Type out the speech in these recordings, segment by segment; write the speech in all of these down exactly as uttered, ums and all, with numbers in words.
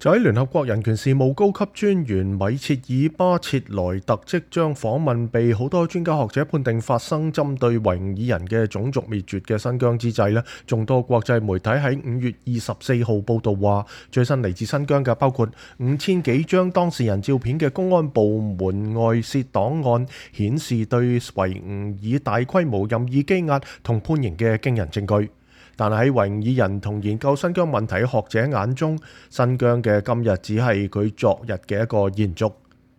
就喺聯合國人權事務高級專員米切爾巴切萊特即將訪問被好多專家學者判定發生針對維吾爾人嘅種族滅絕嘅新疆之際呢，眾多國際媒體喺五月二十四號報道話，最新嚟自新疆嘅包括五千幾張當事人照片嘅公安部門外泄檔案，顯示對維吾爾大規模任意羈押同判刑嘅驚人證據。但係喺維吾爾人同研究新疆問題嘅學者眼中，新疆嘅今日只係佢昨日嘅一個延續。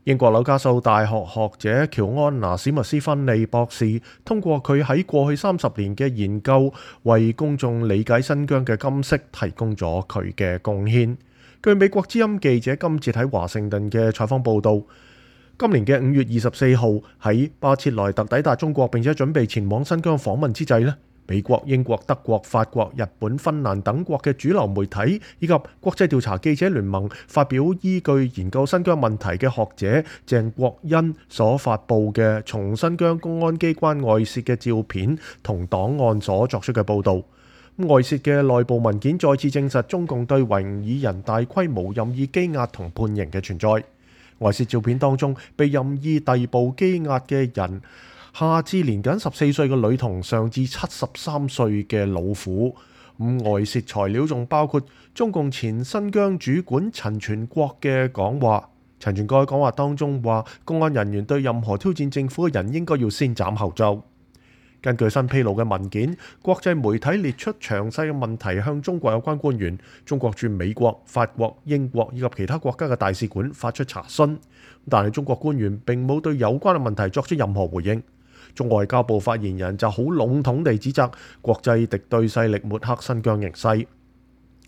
英國紐卡素大學學者喬安娜史密斯芬利博士通過佢喺過去三十年嘅研究，為公眾理解新疆嘅今昔提供咗佢嘅貢獻。據美國之音記者今節喺華盛頓嘅採訪報導，今年嘅五月二十四號喺巴切萊特抵達中國並且準備前往新疆訪問之際呢，美國、英國、德國、法國、日本、芬蘭等國嘅主流媒體以及國際調查記者聯盟發表依據研究新疆問題嘅學者鄭國恩所發布嘅從新疆公安機關外泄嘅照片同檔案所作出嘅報導。外泄嘅內部文件再次證實中共對維吾爾人大規模任意羈押同判刑嘅存在。外泄照片當中被任意逮捕羈押嘅人，下至年僅十四歲嘅女童，上至七十三歲嘅老婦。咁外泄材料仲包括中共前新疆主管陳全國嘅講話。陳全國喺講話當中話，公安人員對任何挑戰政府嘅人應該要先斬後奏。根據新披露嘅文件，國際媒體列出詳細嘅問題向中國有關官員、中國駐美國、法國、英國以及其他國家嘅大使館發出查詢，但係中國官員並冇對有關嘅問題作出任何回應。中外交部發言人就好籠統地指責國際敵對勢力抹黑新疆形勢。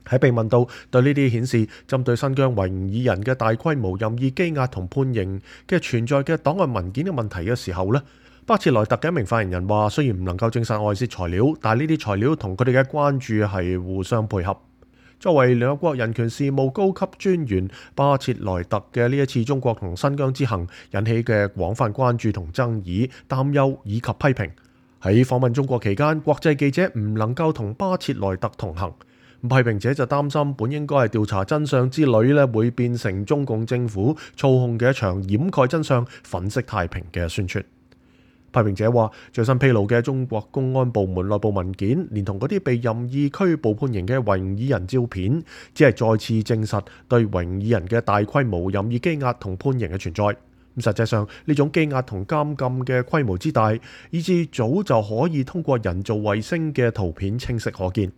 喺被問到對呢啲顯示針對新疆維吾爾人嘅大規模任意羈押同判刑嘅存在嘅檔案文件嘅問題嘅時候呢，巴切萊特嘅一名發言人話，雖然唔能夠證實外泄材料，但係呢啲材料同佢哋嘅關注係互相配合。作為聯合國人權事務高級專員，巴切萊特嘅呢一次中國同新疆之行引起嘅廣泛關注同爭議、擔憂以及批評。喺訪問中國期間，國際記者唔能夠同巴切萊特同行。批評者就擔心本應該係調查真相之旅咧，會變成中共政府操控嘅一場掩蓋真相、粉飾太平嘅宣傳。批評者話，最新披露嘅中國公安部門內部文件，連同嗰啲被任意拘捕判刑嘅維吾爾人照片，只係再次證實對維吾爾人嘅大規模任意羈押同判刑嘅存在。咁實際上呢種羈押同監禁嘅規模之大，以致早就可以通過人造衛星嘅圖片清晰可見。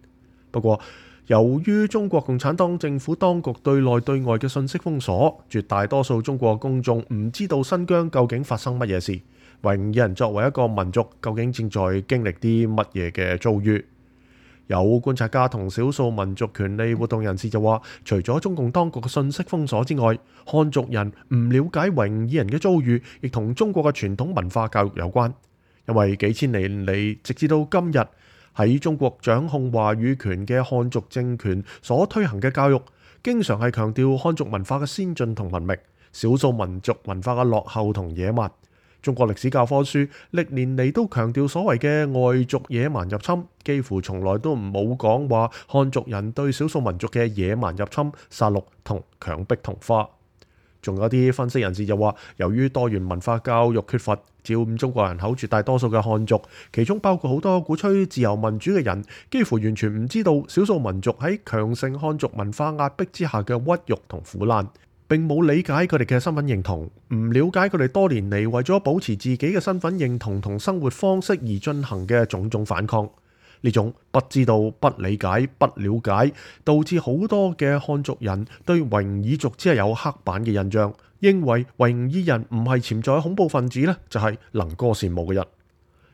不過，由於中國共產黨政府當局對內對外嘅信息封鎖，絕大多數中國公眾唔知道新疆究竟發生乜嘢事。維吾爾人作為一個民族，究竟正在經歷啲乜嘢嘅遭遇？有觀察家同少數民族權利活動人士就話，除咗中共當局嘅信息封鎖之外，漢族人唔了解維吾爾人嘅遭遇，亦同中國嘅傳統文化教育有關。因為幾千年嚟，直至到今日，喺中國掌控話語權嘅漢族政權所推行嘅教育，經常係強調漢族文化嘅先進同文明，少數民族文化嘅落後同野蠻。中國歷史教科書歷年嚟都強調所謂嘅外族野蠻入侵，幾乎從來都唔冇講話漢族人對少數民族嘅野蠻入侵、殺戮同強迫同化。仲有啲分析人士就話，由於多元文化教育缺乏，佔中國人口絕大多數嘅漢族，其中包括好多鼓吹自由民主嘅人，幾乎完全唔知道少數民族喺強盛漢族文化壓迫之下嘅屈辱同苦難。並冇理解佢哋嘅身份認同，唔了解佢哋多年嚟為咗保持自己嘅身份認同同生活方式而進行嘅種種反抗。呢種不知道、不理解、不了解，導致好多嘅漢族人對維吾爾族只係有刻板嘅印象，認為維吾爾人唔係潛在恐怖分子呢，就係能歌善舞嘅人。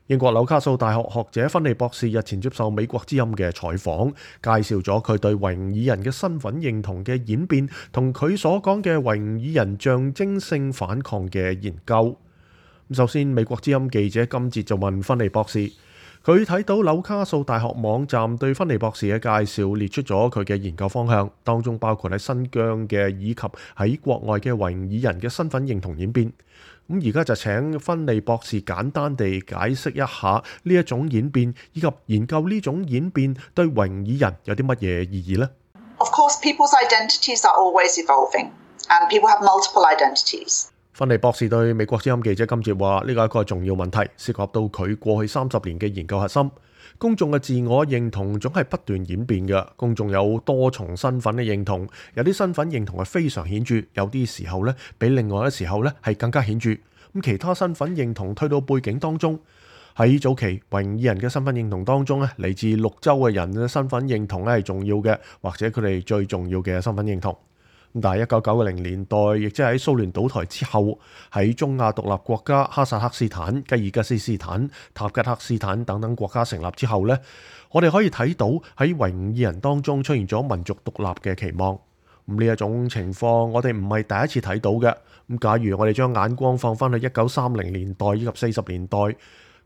英國紐卡素大學學者芬利博士日前接受美國之音嘅採訪，介紹咗佢對維吾爾人嘅身份認同嘅演變，同佢所講嘅維吾爾人象徵性反抗嘅研究。首先，美國之音記者今節就問芬利博士，佢睇到紐卡素大學網站對芬利博士嘅介紹列出咗佢嘅研究方向，當中包括喺新疆嘅以及喺國外嘅維吾爾人嘅身份認同演變。咁而家就請芬利博士簡單地解釋一下呢一種演變，以及研究呢種演變對維吾爾人有啲乜嘢意義呢？ Of course, people's identities are always evolving, and people have multiple identities. 芬尼博士對美國之音記者金捷話：呢個係一個重要問題，涉及到佢過去三十年嘅研究核心。公眾嘅自我認同總係不斷演變嘅，公眾有多重身份嘅認同，有啲身份認同係非常顯著，有啲時候咧比另外嘅時候咧係更加顯著。咁其他身份認同推到背景當中，喺早期維吾爾人嘅身份認同當中咧，嚟自綠洲嘅人嘅身份認同咧係重要嘅，或者佢哋最重要嘅身份認同。但係一九九零年代，亦即係喺蘇聯倒台之後，喺中亞獨立國家哈薩克斯坦、吉爾吉斯斯坦、塔吉克斯坦等等國家成立之後呢，我哋可以睇到喺維吾爾人當中出現咗民族獨立嘅期望。咁呢一種情況，我哋唔係第一次睇到嘅。咁假如我哋將眼光放翻去一九三零年代以及四十年代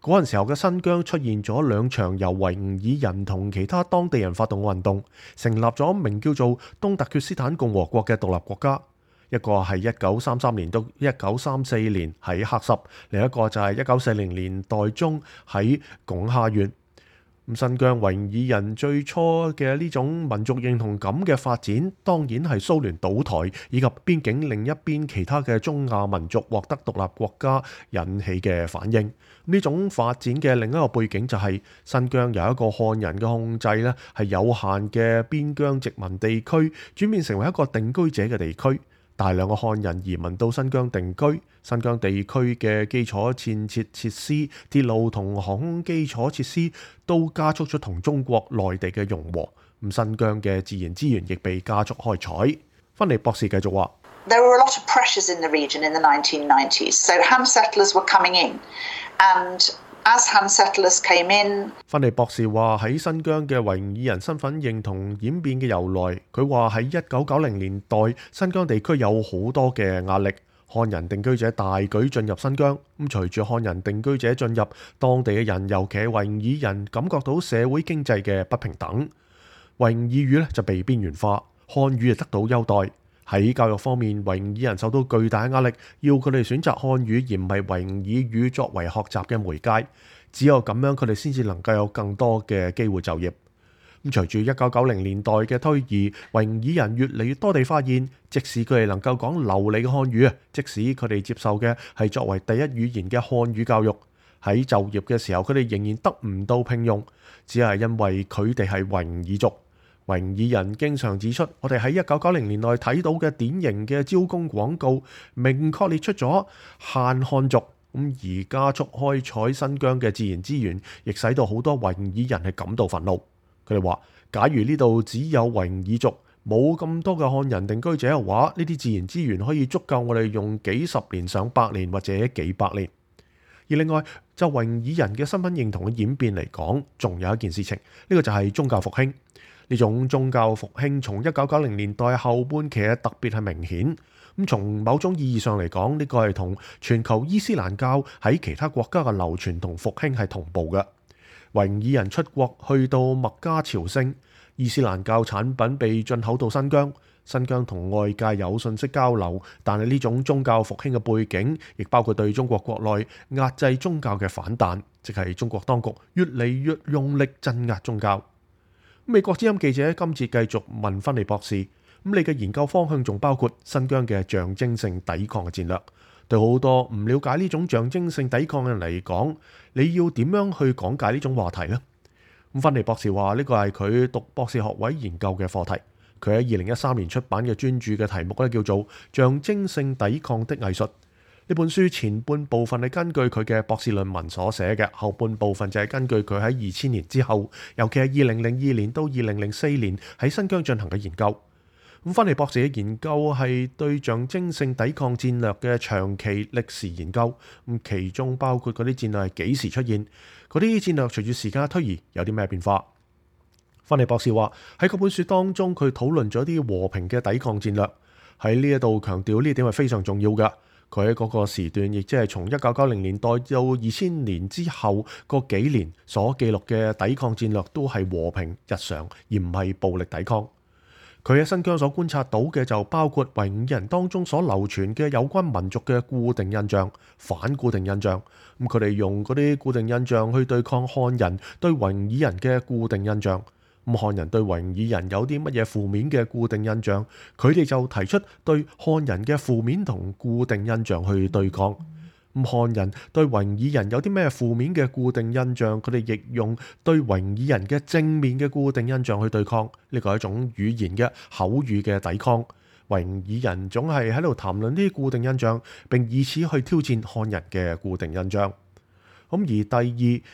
嗰陣時候嘅新疆，出現咗兩場由維吾爾人同其他當地人發動嘅運動，成立咗名叫做東突厥斯坦共和國嘅獨立國家。一個係一九三三年到一九三四年喺喀什，另一個就係一九四零年代中喺鞏哈縣。咁新疆維吾爾人最初嘅呢種民族認同感嘅發展，當然係蘇聯倒台以及邊境另一邊其他嘅中亞民族獲得獨立國家引起嘅反應。呢種發展嘅另一個背景就係新疆由一個漢人嘅控制咧，係有限嘅邊疆殖民地區轉變成為一個定居者嘅地區。大量嘅漢人移民到新疆定居，新疆地區嘅基礎建設設施、鐵路同航空基礎設施都加速咗同中國內地嘅融和。咁新疆嘅自然資源亦被加速開採。芬尼博士繼續話：There were a lot of pressures in the region in the nineteen nineties, so Han settlers were coming in, and As Han settlers came in， 芬尼博士話喺新疆嘅維吾爾人身份認同演變嘅由來，佢話喺一九九零年代新疆地區有好多嘅壓力，漢人定居者大舉進入新疆。咁隨住漢人定居者進入，當地嘅人尤其係維吾爾人感覺到社會經濟嘅不平等，維吾爾語咧就被邊緣化，漢語就得到優待。喺教育方面，維吾爾人受到巨大嘅壓力，要佢哋選擇漢語而唔係維吾爾語作為學習嘅媒介。只有咁樣，佢哋先至能夠有更多嘅機會就業。咁隨住一九九零年代嘅推移，維吾爾人越嚟越多地發現，即使佢哋能夠講流利嘅漢語啊，即使佢哋接受嘅係作為第一語言嘅漢語教育，喺就業嘅時候，佢哋仍然得唔到聘用，只係因為佢哋係維吾爾族。維吾爾人經常指出，我哋喺一九九零年代睇到嘅典型嘅招工廣告，明確列出咗限漢族。咁而加速開採新疆嘅自然資源，亦使到好多維吾爾人係感到憤怒。佢哋話：假如呢度只有維吾爾族，冇咁多嘅漢人定居者嘅話，呢啲自然資源可以足夠我哋用幾十年、上百年或者幾百年。而另外，就維吾爾人嘅身份認同嘅演變嚟講，仲有一件事情，呢個就係宗教復興。呢種宗教復興從一九九零年代後半期特別係明顯。咁從某種意義上嚟講，呢個係同全球伊斯蘭教喺其他國家嘅流傳同復興係同步嘅。維吾爾人出國去到麥加朝聖，伊斯蘭教產品被進口到新疆，新疆同外界有信息交流，但係呢種宗教復興嘅背景，亦包括對中國國內壓制宗教嘅反彈，即係中國當局越嚟越用力鎮壓宗教。美國之音記者今次繼續問芬尼博士：咁你嘅研究方向仲包括新疆嘅象徵性抵抗嘅戰略？對好多唔了解呢種象徵性抵抗嘅人嚟講，你要點樣去講解呢種話題呢？咁芬尼博士話呢個係佢讀博士學位研究嘅課題。佢喺二零一三年出版嘅專著嘅題目咧叫做《象徵性抵抗的藝術》。呢本書前半部分係根據佢嘅博士論文所寫嘅，後半部分就係根據佢喺二千年之後，尤其係二零零二年到二零零四年喺新疆進行嘅研究。咁芬尼博士嘅研究係對象徵性抵抗戰略嘅長期歷史研究，咁其中包括嗰啲戰略係幾時出現，嗰啲戰略隨住時間推移有啲咩變化。芬尼博士話喺嗰本書當中，佢討論咗啲和平嘅抵抗戰略，喺呢一度強調呢點係非常重要嘅。佢喺嗰個時段，亦即係從一九九零年代到二千年之後嗰幾年所記錄嘅抵抗戰略都係和平日常，而唔係暴力抵抗。佢喺新疆所觀察到嘅就包括維吾爾人當中所流傳嘅有關民族嘅固定印象、反固定印象。咁佢哋用嗰啲固定印象去對抗漢人對維吾爾人嘅固定印象。咁漢人對維吾爾人有啲乜嘢負面嘅固定印象，佢哋就提出對漢人嘅負面同固定印象去對抗。咁漢人對維吾爾人有啲咩負面嘅固定印象，佢哋亦用對維吾爾人嘅正面嘅固定印象去對抗。呢個係一種語言嘅口語嘅抵抗。維吾爾人總係喺度談論呢啲固定印象，並以此去挑戰漢人嘅固定印象。咁而第二，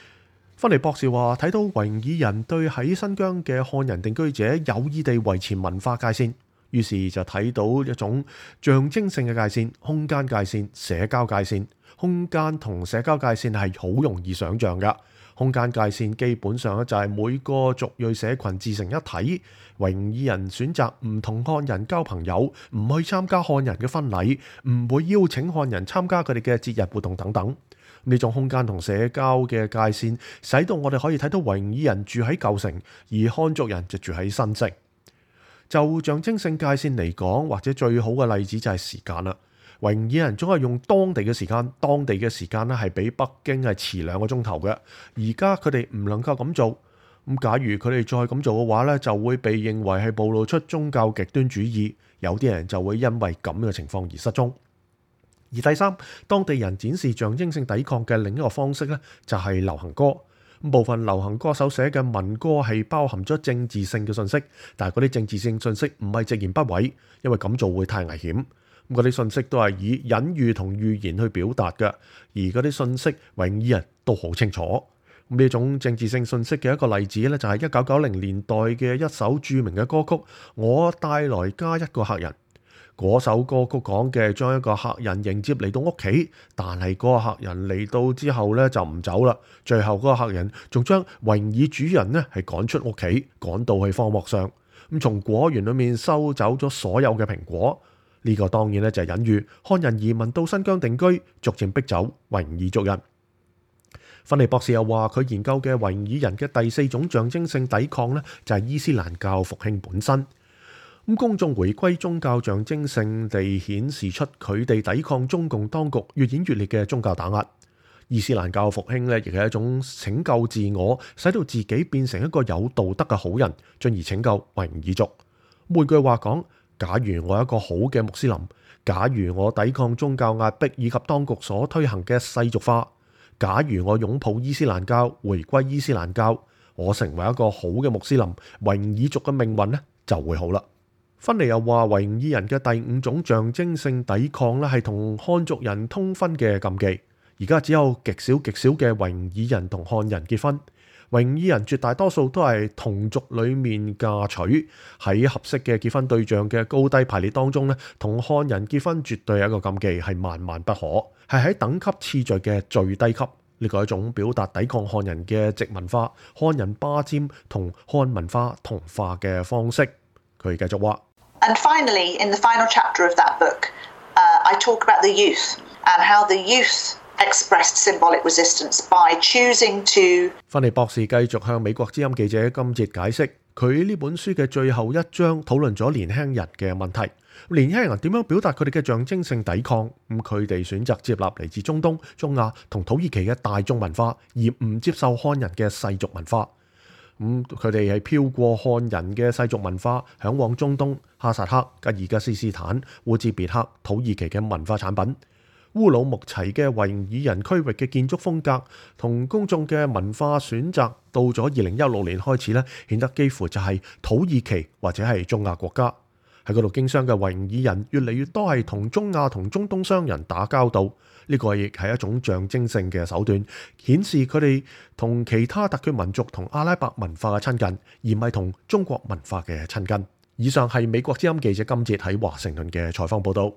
芬尼博士話睇到維吾爾人對喺新疆嘅漢人定居者有意地維持文化界線，於是就睇到一種象徵性嘅界線、空間界線、社交界線。空間同社交界線係好容易想像㗎。空間界線基本上咧就係每個族裔社群自成一體。維吾爾人選擇唔同漢人交朋友，唔去參加漢人嘅婚禮，唔會邀請漢人參加佢哋嘅節日活動等等。呢種空間同社交嘅界線，使到我哋可以睇到維吾爾人住喺舊城，而漢族人就住喺新城。就象徵性界線嚟講，或者最好嘅例子就係時間啦。維吾爾人總係用當地嘅時間，當地嘅時間咧係比北京係遲兩個鐘頭嘅。而家佢哋唔能夠咁做，咁假如佢哋再咁做嘅話咧，就會被認為係暴露出宗教極端主義，有啲人就會因為咁嘅情況而失蹤。而第三，當地人展示象徵性抵抗嘅另一個方式咧，就係流行歌。部分流行歌手寫嘅民歌係包含咗政治性嘅信息，但係嗰啲政治性信息唔係直言不諱，因為咁做會太危險。嗰啲信息都係以隱喻同預言去表達嘅，而嗰啲信息維吾爾人都好清楚。咁呢種政治性信息嘅一個例子咧，就係一九九零年代嘅一首著名嘅歌曲《我帶來加一個客人》。嗰首歌曲講嘅將一個客人迎接嚟到屋企，但係嗰個客人嚟到之後咧就唔走啦。最後嗰個客人仲將維吾爾主人咧係趕出屋企，趕到去荒漠上，咁從果園裏面收走咗所有嘅蘋果。呢個當然咧就係隱喻漢人移民到新疆定居，逐漸逼走維吾爾族人。芬尼博士又話佢研究嘅維吾爾人嘅第四種象徵性抵抗咧，就係伊斯蘭教復興本身。咁公眾回歸宗教象徵性地顯示出佢哋抵抗中共當局越演越烈嘅宗教打壓。伊斯蘭教復興咧，亦係一種拯救自我，使到自己變成一個有道德嘅好人，進而拯救維吾爾族。換句話講，假如我係一個好嘅穆斯林，假如我抵抗宗教壓迫以及當局所推行嘅世俗化，假如我擁抱伊斯蘭教，回歸伊斯蘭教，我成為一個好嘅穆斯林，維吾爾族嘅命運咧就會好啦。芬尼又話維吾爾人嘅第五種象徵性抵抗咧，係同漢族人通婚嘅禁忌。而家只有極少極少嘅維吾爾人同漢人結婚。維吾爾人絕大多數都係同族裡面嫁娶，喺合適嘅結婚對象嘅高低排列當中咧，同漢人結婚絕對係一個禁忌，係萬萬不可，係喺等級次序嘅最低級。呢個係一種表達抵抗漢人嘅殖民化、漢人霸佔同漢文化同化嘅方式。佢繼續話。And finally, in the final chapter of that book, uh, I talk about the youth and how the youth expressed symbolic resistance by choosing to。芬尼博士繼續向美國之音記者金哲解釋，佢呢本書嘅最後一章討論咗年輕人嘅問題。年輕人點樣表達佢哋嘅象徵性抵抗？咁佢哋選擇接納嚟自中東、中亞同土耳其嘅大眾文化，而唔接受漢人嘅世俗文化。咁佢哋係飄過漢人嘅世俗文化，嚮往中東、哈薩克、吉爾吉斯斯坦、烏茲別克、土耳其嘅文化產品。烏魯木齊嘅維吾爾人區域嘅建築風格同公眾嘅文化選擇，到咗二零一六年開始咧，顯得幾乎就係土耳其或者係中亞國家。喺嗰度經商嘅維吾爾人越嚟越多係同中亞同中東商人打交道，呢個亦係一種象徵性嘅手段，顯示佢哋同其他特權民族同阿拉伯文化嘅親近，而唔係同中國文化嘅親近。以上係美國之音記者金哲喺華盛頓嘅採訪報導。